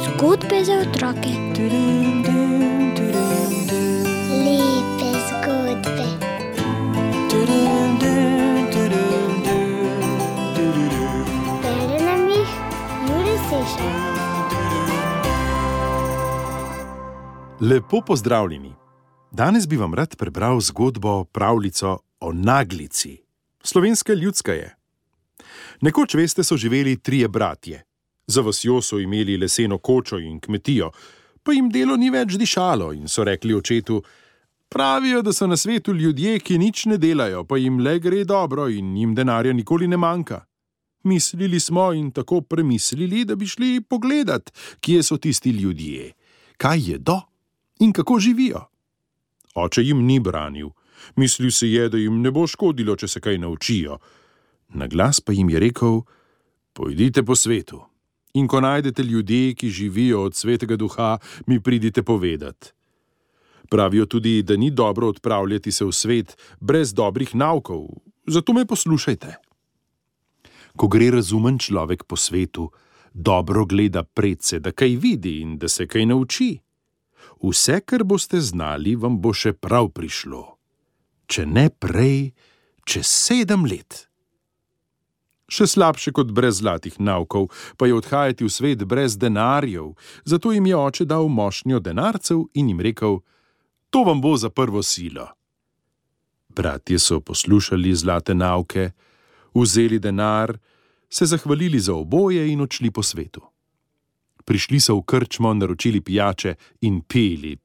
Zgodbe za otroke. Lepe zgodbe. Bere nam jih Jure Sešar. Lepo pozdravljeni. Danes bi vam rad prebral zgodbo, pravljico o naglici. Slovenska ljudska je. Nekoč, veste, so živeli 3 bratje. Za vasjo so imeli leseno kočo in kmetijo, pa jim delo ni več dišalo in so rekli očetu: pravijo, da so na svetu ljudje, ki nič ne delajo, pa jim le gre dobro in jim denarja nikoli ne manjka. Mislili smo in tako premislili, da bi šli pogledat, kje so tisti ljudje, kaj jedo in kako živijo. Oče jim ni branil. Mislil se je, da jim ne bo škodilo, če se kaj naučijo. Na glas pa jim je rekel: pojdite po svetu in ko najdete ljudi, ki živijo od svetega duha, mi pridite povedat. Pravijo tudi, da ni dobro odpravljati se v svet brez dobrih naukov, zato me poslušajte. Ko gre razumen človek po svetu, dobro gleda predse, da kaj vidi in da se kaj nauči. Vse, kar boste znali, vam bo še prav prišlo. Če ne prej, čez 7 let. Še slabše kot brez zlatih naukov, pa je odhajati v svet brez denarjev, zato jim je oče dal mošnjo denarcev in jim rekel: to vam bo za prvo silo. Bratje so poslušali zlate nauke, vzeli denar, se zahvalili za oboje in odšli po svetu. Prišli so v krčmo, naročili pijače in pili,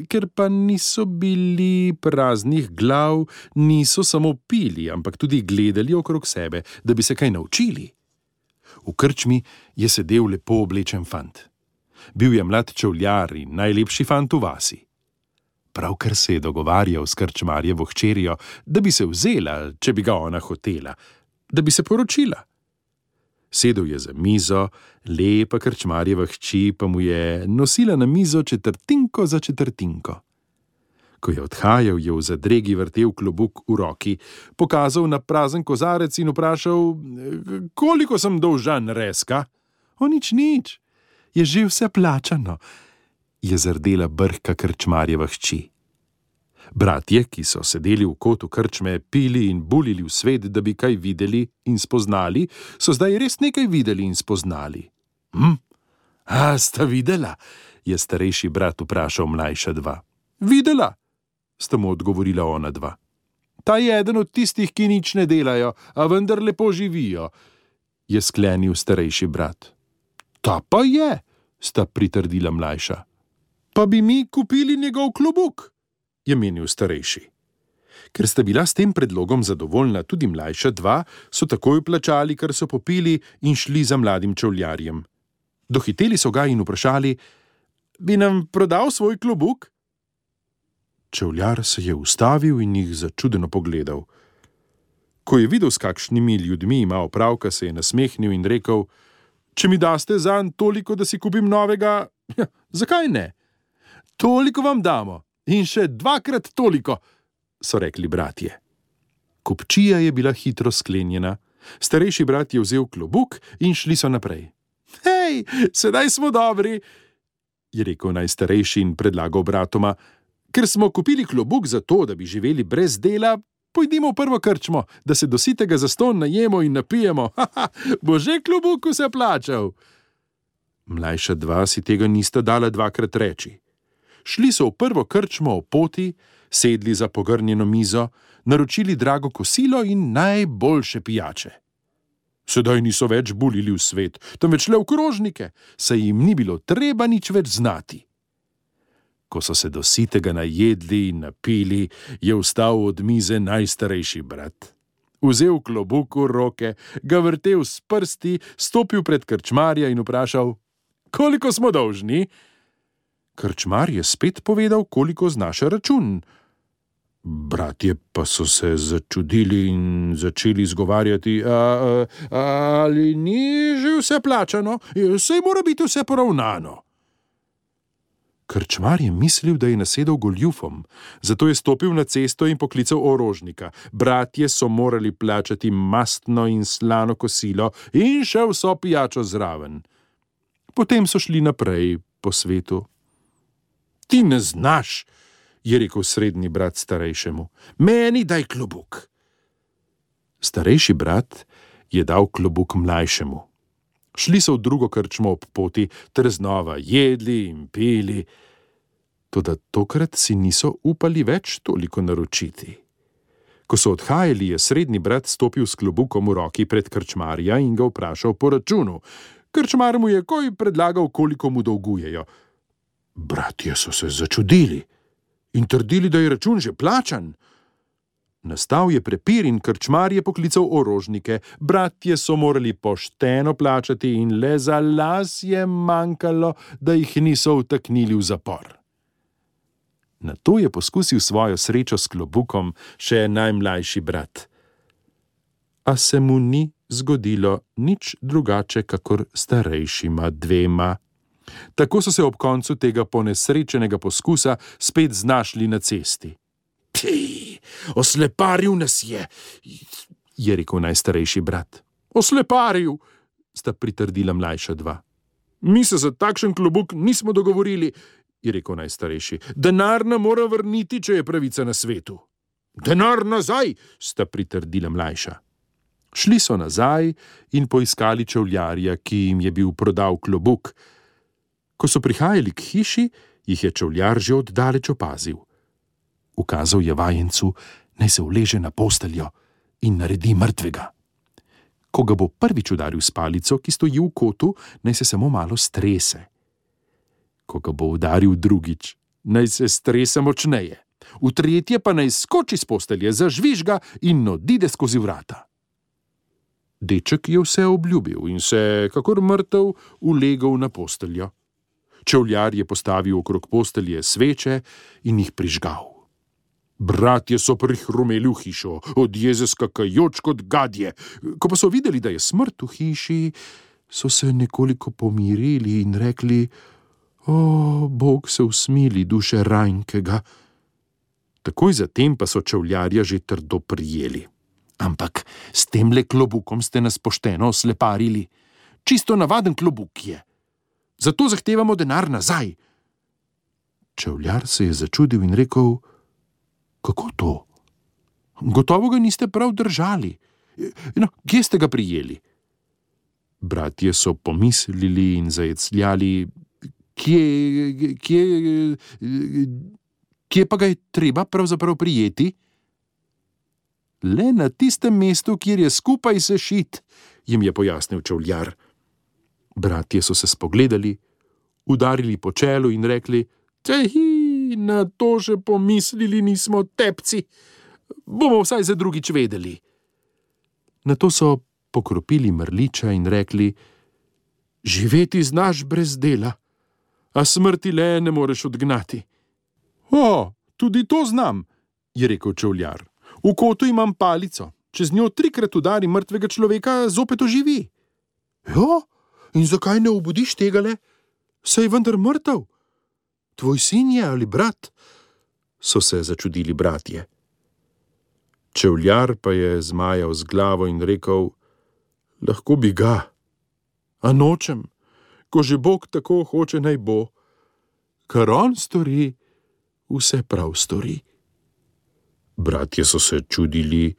ker pa niso bili praznih glav, niso samo pili, ampak tudi gledali okrog sebe, da bi se kaj naučili. V krčmi je sedel lepo oblečen fant. Bil je mlad čevljar in najlepši fant v vasi. Pravkar se je dogovarjal s krčmarjevo hčerjo, da bi se vzela, če bi ga ona hotela, da bi se poročila. Sedel je za mizo, lepa krčmarjeva hči pa mu je nosila na mizo četrtinko za četrtinko. Ko je odhajal, je v zadregi vrtel klobuk v roki, pokazal na prazen kozarec in vprašal: koliko sem dolžan, Reska? O, nič, je že vse plačano, je zardela brhka krčmarjeva hči. Bratje, ki so sedeli v kotu krčme, pili in bulili v svet, da bi kaj videli in spoznali, so zdaj res nekaj videli in spoznali. Sta videla? Je starejši brat vprašal mlajša 2. Videla, sta mu odgovorila ona 2. Ta je eden od tistih, ki nič ne delajo, a vendar lepo živijo, je sklenil starejši brat. Ta pa je, sta pritrdila mlajša. Pa bi mi kupili njegov klobuk, je menil starejši. Ker sta bila s tem predlogom zadovoljna tudi mlajša 2, so takoj plačali, kar so popili, in šli za mladim čevljarjem. Dohiteli so ga in vprašali: bi nam prodal svoj klobuk? Čevljar se je ustavil in jih začudeno pogledal. Ko je videl, s kakšnimi ljudmi ima opravka, se je nasmehnil in rekel: če mi daste zanj toliko, da si kupim novega, zakaj ne? Toliko vam damo. In še 2-krat toliko, so rekli bratje. Kupčija je bila hitro sklenjena. Starejši brat je vzel klobuk in šli so naprej. Hej, sedaj smo dobri, je rekel najstarejši in predlagal bratoma: ker smo kupili klobuk za to, da bi živeli brez dela, pojdimo v prvo krčmo, da se do sitega zastonj najemo in napijemo. Bo že klobuk vse plačal. Mlajša 2 si tega nista dala 2-krat reči. Šli so v prvo krčmo o poti, sedli za pogrnjeno mizo, naročili drago kosilo in najboljše pijače. Sedaj niso več bulili v svet, temveč le v krožnike, saj jim ni bilo treba nič več znati. Ko so se do sitega najedli in napili, je vstal od mize najstarejši brat. Vzel klobuk v roke, ga vrtel s prsti, stopil pred krčmarja in vprašal: koliko smo dolžni? Krčmar je spet povedal, koliko znaša račun. Bratje pa so se začudili in začeli izgovarjati: ali ni že vse plačano? Saj mora biti vse poravnano. Krčmar je mislil, da je nasedel goljufom, zato je stopil na cesto in poklical orožnika. Bratje so morali plačati mastno in slano kosilo in še vso pijačo zraven. Potem so šli naprej po svetu. Ti ne znaš, je rekel srednji brat starejšemu. Meni daj klobuk. Starejši brat je dal klobuk mlajšemu. Šli so v drugo krčmo ob poti, ter znova jedli in pili. Toda tokrat si niso upali več toliko naročiti. Ko so odhajali, je srednji brat stopil s klobukom v roki pred krčmarja in ga vprašal po računu. Krčmar mu je takoj predlagal, koliko mu dolgujejo. Bratje so se začudili in trdili, da je račun že plačan. Nastal je prepir in krčmar je poklical orožnike. Bratje so morali pošteno plačati in le za las je manjkalo, da jih niso vtaknili v zapor. Nato je poskusil svojo srečo s klobukom še najmlajši brat. A se mu ni zgodilo nič drugače kakor starejšima dvema. Tako so se ob koncu tega ponesrečenega poskusa spet znašli na cesti. Osleparil nas je rekel najstarejši brat. Osleparil, sta pritrdila mlajša dva. Mi se za takšen klobuk nismo dogovorili, je rekel najstarejši. Denar nam mora vrniti, če je pravica na svetu. Denar nazaj, sta pritrdila mlajša. Šli so nazaj in poiskali čevljarja, ki jim je bil prodal klobuk. Ko so prihajali k hiši, jih je čevljar že oddaleč opazil. Ukazal je vajencu, naj se uleže na posteljo in naredi mrtvega. Ko ga bo prvič udaril s palico, ki stoji v kotu, naj se samo malo strese. Ko ga bo udaril drugič, naj se strese močneje. V tretje pa naj skoči s postelje, zažvižga in odide skozi vrata. Deček je vse obljubil in se, kakor mrtev, ulegel na posteljo. Čevljar je postavil okrog postelje sveče in jih prižgal. Bratje so prihrumeli v hišo, od jeze skakajoč kot gadje. Ko pa so videli, da je smrt v hiši, so se nekoliko pomirili in rekli: O, Bog se usmili duše ranjkega. Takoj zatem pa so čevljarja že trdo prijeli. Ampak s temle klobukom ste nas pošteno osleparili. Čisto navaden klobuk je. Zato zahtevamo denar nazaj. Čevljar se je začudil in rekel: Kako to? Gotovo ga niste prav držali. No, kje ste ga prijeli? Bratje so pomislili in zajecljali: Kje pa ga je treba pravzaprav prijeti? Le na tistem mestu, kjer je skupaj sešit, jim je pojasnil čevljar. Bratje so se spogledali, udarili po čelu in rekli: Na to že pomislili nismo, tepci. Bomo vsaj za drugič vedeli. Nato so pokropili mrliča in rekli: Živeti znaš brez dela, a smrti le ne moreš odgnati. O, tudi to znam, je rekel čevljar. V kotu imam palico. Če z njo 3krat udari mrtvega človeka, zopet oživi. Jo, in zakaj ne obudiš tegale? Saj je vendar mrtev. Tvoj sin je ali brat? So se začudili bratje. Čevljar pa je zmajal z glavo in rekel: Lahko bi ga, a nočem, ko že Bog tako hoče naj bo. Kar on stori, vse prav stori. Bratje so se čudili,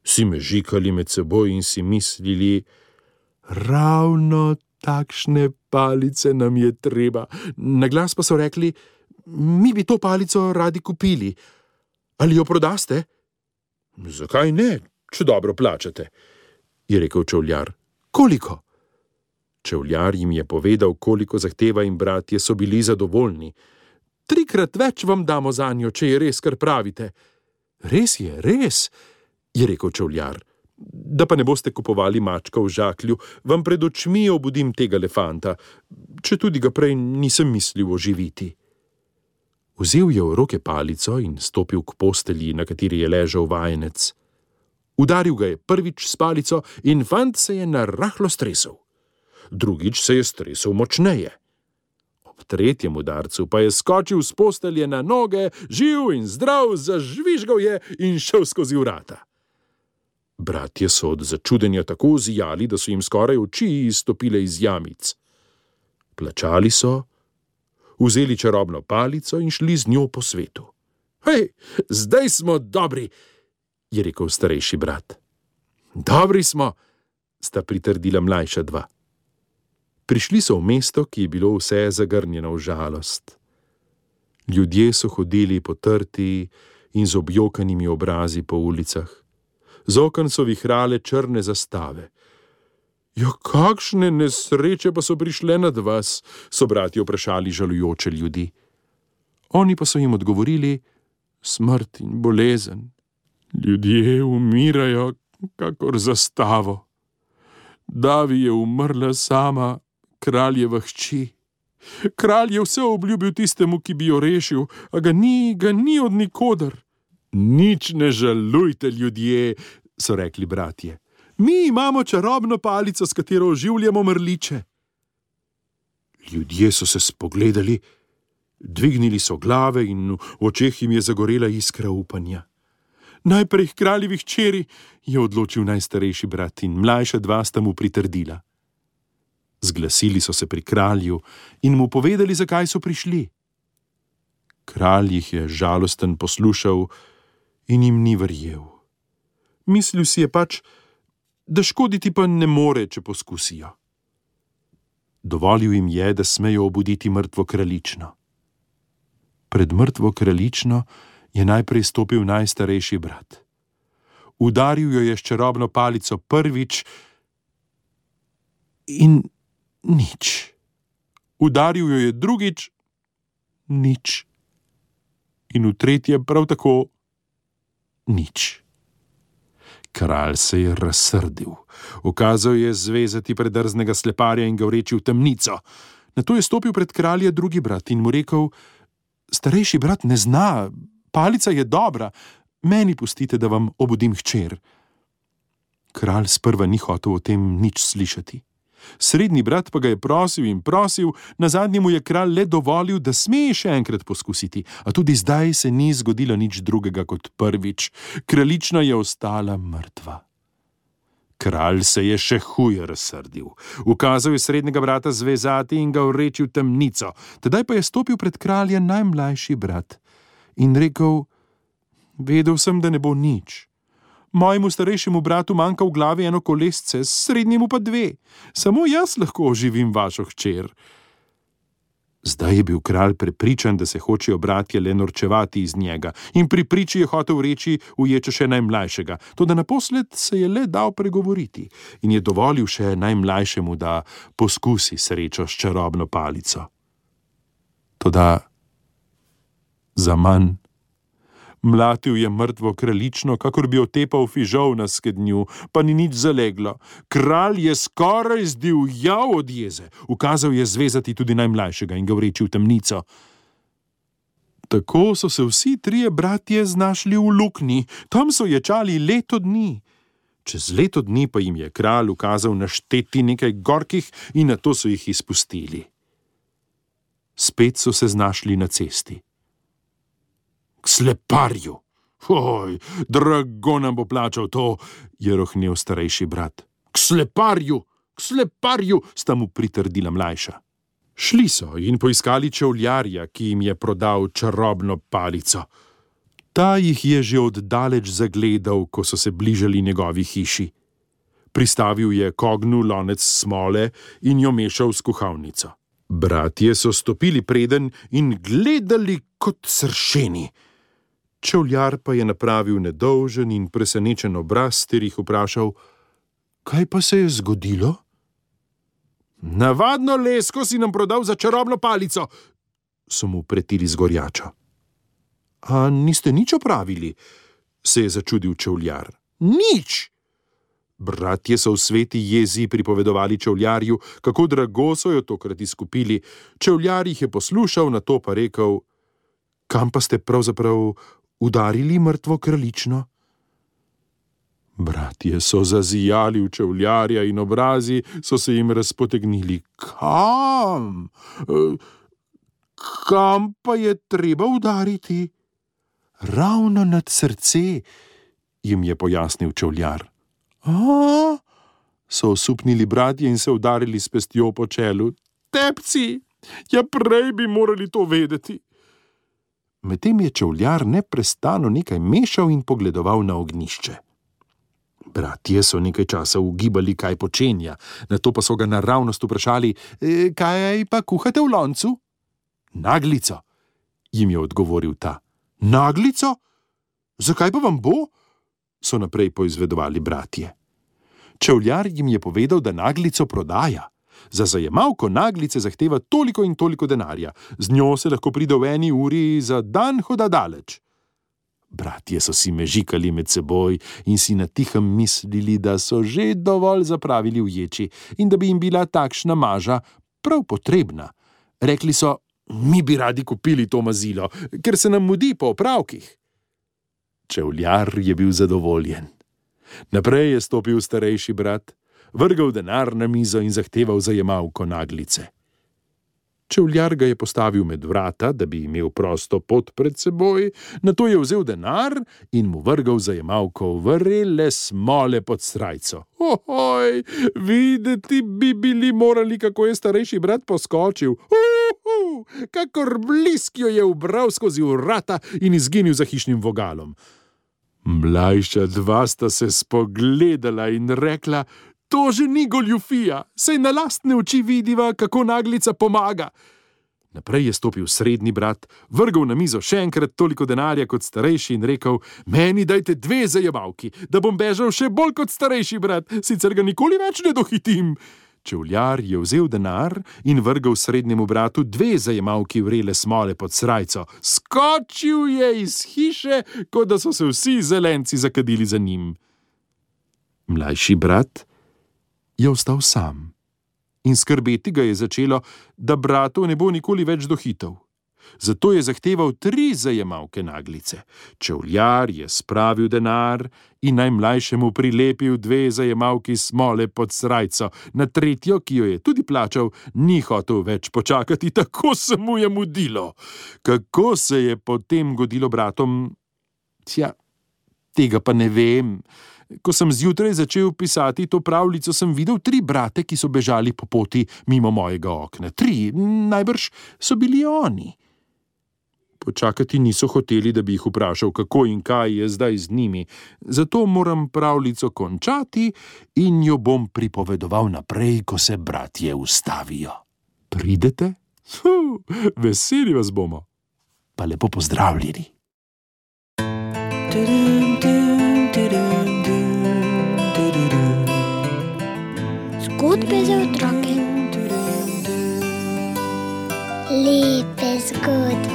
si mežikali med seboj in si mislili: Ravno takšne palice nam je treba. Na glas pa so rekli: Mi bi to palico radi kupili. Ali jo prodaste? Zakaj ne, če dobro plačate, je rekel čevljar. Koliko? Čevljar jim je povedal, koliko zahteva, in bratje so bili zadovoljni. 3krat več vam damo zanjo, če je res, kar pravite. Res je, je rekel čevljar. Da pa ne boste kupovali mačka v žaklju, vam pred očmi obudim tega elefanta, če tudi ga prej nisem mislil oživiti. Vzel je v roke palico in stopil k postelji, na kateri je ležal vajenec. Udaril ga je prvič s palico in fant se je narahlo stresel. Drugič se je stresel močneje. Ob tretjem udarcu pa je skočil s postelje na noge, živ in zdrav, zažvižgal je in šel skozi vrata. Bratje so od začudenja tako zijali, da so jim skoraj oči izstopile iz jamic. Plačali so, vzeli čarobno palico in šli z njo po svetu. Hej, zdaj smo dobri, je rekel starejši brat. Dobri smo, sta pritrdila mlajša dva. Prišli so v mesto, ki je bilo vse zagrnjeno v žalost. Ljudje so hodili potrti in z objokanimi obrazi po ulicah. Z oken so vihrale črne zastave. Ja, kakšne nesreče pa so prišle nad vas, so bratje vprašali žalujoče ljudi. Oni pa so jim odgovorili: smrt in bolezen. Ljudje umirajo kakor zastavo. Davi je umrla sama, kraljeva hči. Kralj je vse obljubil tistemu, ki bi jo rešil, a ga ni od nikoder. Nič ne žalujte, ljudje, so rekli bratje. Mi imamo čarobno palico, s katero oživljamo mrliče. Ljudje so se spogledali, dvignili so glave in v očeh jim je zagorela iskra upanja. Najprej kraljevi hčeri, je odločil najstarejši brat, in mlajša dva sta mu pritrdila. Zglasili so se pri kralju in mu povedali, zakaj so prišli. Kralj jih je žalosten poslušal in jim ni verjel. Mislil si je pač, da škoditi pa ne more, če poskusijo. Dovolil jim je, da smejo obuditi mrtvo kraljično. Pred mrtvo kraljično je najprej stopil najstarejši brat. Udaril jo je s čarobno palico prvič in nič. Udaril jo je drugič, nič. In v tretje prav tako nič. Kralj se je razsrdil. Ukazal je zvezati predrznega sleparja in ga vreči v temnico. Nato je stopil pred kralja drugi brat in mu rekel: starejši brat ne zna, palica je dobra, meni pustite, da vam obudim hčer. Kralj sprva ni hotel o tem nič slišati. Srednji brat pa ga je prosil in prosil, nazadnje mu je kralj le dovolil, da sme še enkrat poskusiti, a tudi zdaj se ni zgodilo nič drugega kot prvič. Kraljična je ostala mrtva. Kralj se je še huje razsrdil. Ukazal je srednjega brata zvezati in ga vreči v temnico. Tedaj pa je stopil pred kralja najmlajši brat in rekel: vedel sem, da ne bo nič. Mojemu starejšemu bratu manjka v glavi eno kolesce, srednjemu pa dve. Samo jaz lahko oživim vašo hčer. Zdaj je bil kralj prepričan, da se hočejo bratje le norčevati iz njega, in pri priči je hotel reči, uječe še najmlajšega, toda naposled se je le dal pregovoriti in je dovolil še najmlajšemu, da poskusi srečo s čarobno palico. Toda zaman. Mlatil je mrtvo kraljično, kakor bi otepal fižol na skednju, pa ni nič zaleglo. Kralj je skoraj zdivjal od jeze. Ukazal je zvezati tudi najmlajšega in ga vreči v temnico. Tako so se vsi trije bratje znašli v luknji. Tam so ječali leto dni. Čez leto dni pa jim je kralj ukazal našteti nekaj gorkih in nato so jih izpustili. Spet so se znašli na cesti. K sleparju. Oj, drago nam bo plačal to, je rohnel starejši brat. K sleparju, sta mu pritrdila mlajša. Šli so in poiskali čevljarja, ki jim je prodal čarobno palico. Ta jih je že oddaleč zagledal, ko so se bližali njegovi hiši. Pristavil je k ognju lonec smole in jo mešal s kuhalnico. Bratje so stopili preden in gledali kot sršeni. Čevljar pa je napravil nedolžen in presenečen obraz ter jih vprašal: kaj pa se je zgodilo? Navadno lesko si nam prodal za čarobno palico, so mu pretili z gorjačo. A niste nič opravili? Se je začudil čevljar. Nič! Bratje so v sveti jezi pripovedovali čevljarju, kako drago so jo tokrat izkupili. Čevljar jih je poslušal, nato pa rekel: kam pa ste pravzaprav udarili mrtvo kraljično? Bratje so zazijali v čevljarja in obrazi so se jim razpotegnili. Kam? Kam pa je treba udariti? Ravno nad srce, jim je pojasnil čevljar. A? So osupnili bratje in se udarili s pestjo po čelu. Tepci, ja prej bi morali to vedeti. Medtem je čevljar neprestano nekaj mešal in pogledoval na ognjišče. Bratje so nekaj časa ugibali, kaj počenja, nato pa so ga naravnost vprašali, kaj pa kuhate v loncu? Naglico, jim je odgovoril ta. Naglico? Zakaj pa vam bo? So naprej poizvedovali bratje. Čevljar jim je povedal, da naglico prodaja. Za zajemalko naglice zahteva toliko in toliko denarja. Z njo se lahko pride v 1 uri za dan hoda daleč. Bratje so si mežikali med seboj in si na tihem mislili, da so že dovolj zapravili v ječi in da bi jim bila takšna maža prav potrebna. Rekli so, mi bi radi kupili to mazilo, ker se nam mudi po opravkih. Čevljar je bil zadovoljen. Naprej je stopil starejši brat, vrgel denar na mizo in zahteval zajemalko naglice. Čevljar ga je postavil med vrata, da bi imel prosto pot pred seboj, nato je vzel denar in mu vrgel zajemalko vrele smole pod srajco. Ohoj, videti bi bili morali, kako je starejši brat poskočil. Kakor blisk jo je ubral skozi vrata in izginil za hišnim vogalom. Mlajša dva sta se spogledala in rekla, to že ni goljufija, saj na lastne oči vidiva, kako naglica pomaga. Naprej je stopil srednji brat, vrgel na mizo še enkrat toliko denarja kot starejši in rekel, meni dajte 2 zajemalki, da bom bežal še bolj kot starejši brat, sicer ga nikoli več ne dohitim. Čevljar je vzel denar in vrgel srednjemu bratu 2 zajemalki vrele smole pod srajco. Skočil je iz hiše, kot da so se vsi zelenci zakadili za njim. Mlajši brat je ostal sam in skrbeti ga je začelo, da bratov ne bo nikoli več dohitel. Zato je zahteval 3 zajemalke naglice. Čevljar je spravil denar in najmlajšemu prilepil 2 zajemalki smole pod srajco. Na tretjo, ki jo je tudi plačal, ni hotel več počakati, tako se mu je mudilo. Kako se je potem godilo bratom? Tega pa ne vem. Ko sem zjutraj začel pisati to pravljico, sem videl 3 brate, ki so bežali po poti mimo mojega okna. 3, najbrž so bili oni. Počakati niso hoteli, da bi jih vprašal, kako in kaj je zdaj z njimi. Zato moram pravljico končati in jo bom pripovedoval naprej, ko se bratje ustavijo. Pridete? Veseli vas bomo. Pa lepo pozdravljeni. Zgodbe za otroke. Lepe zgodbe.